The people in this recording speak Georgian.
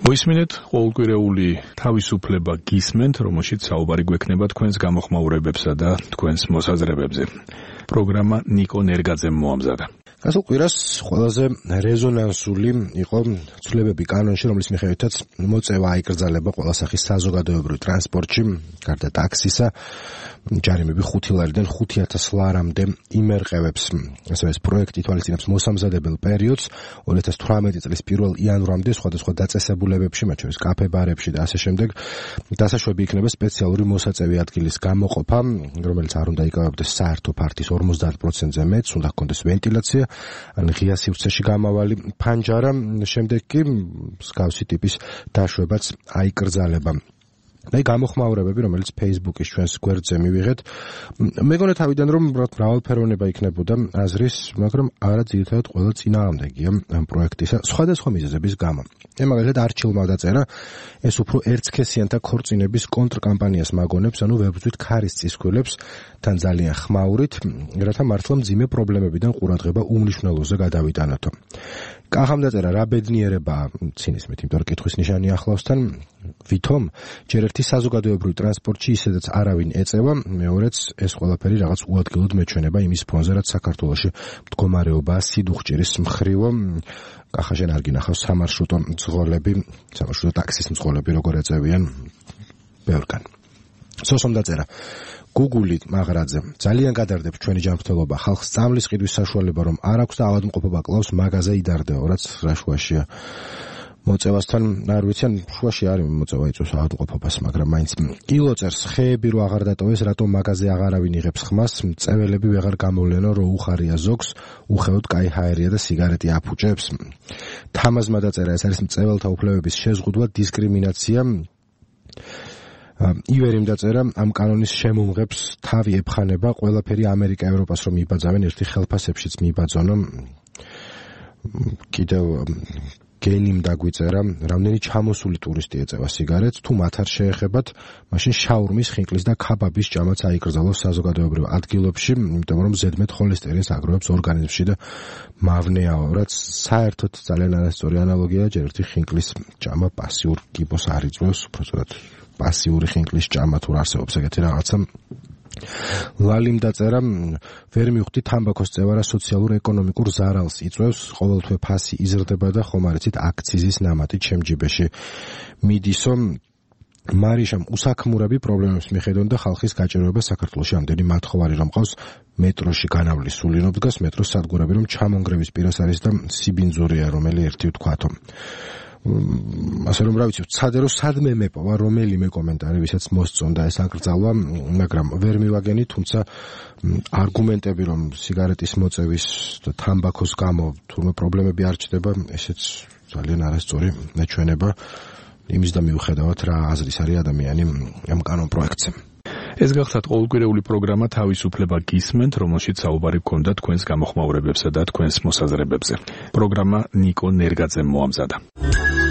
მოისმინეთ ყოველკვირეული თავისუფლება გისმენთ, რომელშიც საუბარი გვექნება თქვენს გამოხმაურებებსა და თქვენს მოსაზრებებზე. პროგრამა ნიკო ნერგაძემ მოამზადა. გასულ კვირას ყველაზე რეზონანსული იყო ცვლილებები კანონში, რომლის მიხედვითაც მოწევა აიკრძალება ყველა სახის საზოგადოებრივ ტრანსპორტში, გარდა ტაქსისა, ჯარიმები 5 ლარიდან 5,000 ლარამდე იმერყევებს. ასევე ეს პროექტი ითვალისწინებს მოსამზადებელ პერიოდს 2018 წლის 1 იანვრამდე სხვადასხვა დაწესებულებებში, მათ შორის კაფე-ბარებში და ასე შემდეგ. დასაშვები იქნება სპეციალური მოსაწევი ადგილის გამოყოფა, რომელიც არ უნდა იკავებდეს საერთო ფართის 50%-ზე მეტს, უნდა ჰქონდეს ვენტილაცია, ან ღია სივრცეში გამავალი ფანჯარა, შემდეგ კი მსგავსი ტიპის დაშვებაც აიკრძალება. და გამოხმაურებები, რომელიც Facebook-ის ჩვენს გვერდზე მივიღეთ, მეგონა თავიდან რომ მრავალფეროვნება იქნებოდა აზრის, მაგრამ არა ძირითადად ყველა წინააღმდეგია ამ პროექტისა სხვადასხვა მიზეზების გამო. მაგალითად არჩილმა დაწერა, ეს უფრო ერთსქესიანთა ქორწინების კონტრკამპანიას მაგონებს, ანუ ვებრძვით ქარის წისქვილებს თან ძალიან ხმაურით, რათა მართლა მძიმე პრობლემებიდან ყურადღება უმნიშვნელოზე გადავიტანოთო. კახამ დაწერა, რა ბედნიერებაა ცინისმით, იმიტომ რომ კითხვის ნიშანი ახლავსთან, ვითომ ჯერ ერთი საზოგადოებრივ ტრანსპორტში ისედაც არავინ ეწევა, მეორეც ეს ყველაფერი რაღაც უადგილოდ მეჩვენება იმის ფონზე, რაც საქართველოში მდგომარეობაა სიდუხჭირის მხრივო. კახაშენ არ გინახავს სამარშრუტო მძღოლები, სამარშრუტო ტაქსის მძღოლები როგორ ეწევიან ბევრგან. სოსომ დაწერა, გუგული მაღრაძე ძალიან გადარდებს ჩვენი ჯანმრთელობა, ხალხს სწამლის ყიდვის საშუალება რომ არ აქვს და ავადმყოფობა კლავს მაგაზე იდარდეო, რაც რა შუაშია. მოწევასთან არ ვიცი, ან შუაში არის მოწევა იწვევს ავადმყოფობას, მაგრამ მაინც კილოწერს ხეები რო აღარ დატოვეს, რატომ მაგაზე აღარავინ იღებს ხმას, მწეველები ვეღარ გამოვლენო, რო უხარია ზოგს, უხეოდ კაი ჰაერია და სიგარეტი აფუჭებს. თამაზმა დაწერა, ეს არის მწეველთა უფლებების შეზღუდვა, დისკრიმინაცია. ივერიმ დაწერა, ამ კანონის შემომღებს თავი ეფხანება, ყველაფერი ამერიკა ევროპას რომ იბაძავენ, ერთი ხელფასებშიც მიიბაძონო. კიდევ გენიმ დაგვიწერა, რამდენი ჩამოსული ტურისტი ეწევა სიგარეტს, თუ მათ არ შეეხებათ, მაშინ შაურმის, ხინკლის და ქაბაბის ჭამაც აიკრძალოს საზოგადოებრივ ადგილებში, იმიტომ რომ ზედმეტ ხოლესტერინს აგროვებს ორგანიზმში და მავნეაო, რაც საერთოდ ძალიან არასწორი ანალოგია, ჯერ ერთი ხინკლის ჭამა პასიურ კიბოს არ იწვევს, უბრალოდ პასიური ხინკლის ჭამა თუ არსებობს ეგეთი რაღაცა. ლალიმ დაწერა, ვერ მივხვდი თამბაქოს წევარა სოციალურ-ეკონომიკურ ზარალს იწვევს, ყოველთვე ფასი იზრდება და ხომ არ იცით აქციზის ნამატი ჩემ ჯიბეში მიდისო. მარიშამ უსაქმურები პრობლემებს მიხედონ და ხალხის გაჭირვება საქართველოში ამდენი მათხოვარი რომ ყავს, მეტროში განავლის სულინო დგას, მეტროს სადგურები რომ ჩამონგრევის პირას არის და სიბინძურია რომელი ერთი ვთქვათო. ასე რომ რა ვიცი, ვცადე რომ სადმე მეპოვა რომელიმე კომენტარი, ვისაც მოსწონდა ეს აკრძალვა, მაგრამ ვერ მივაგენი, თუმცა არგუმენტები რომ სიგარეტის მოწევის და თამბაქოს გამო თურმე პრობლემები არ ჩდება, ესეც ძალიან არასწორი მეჩვენება იმის და მიუხედავად რა აზრის არის ადამიანი ამ კანონ პროექტზე. ეს გახსათ ყოველკვირეული პროგრამა თავისუფლება გისმენთ, რომელშიც საუბარი გქონდა თქვენს გამოხმაურებებსა და თქვენს მოსაზრებებზე. პროგრამა ნიკო ნერგაძემ მოამზადა.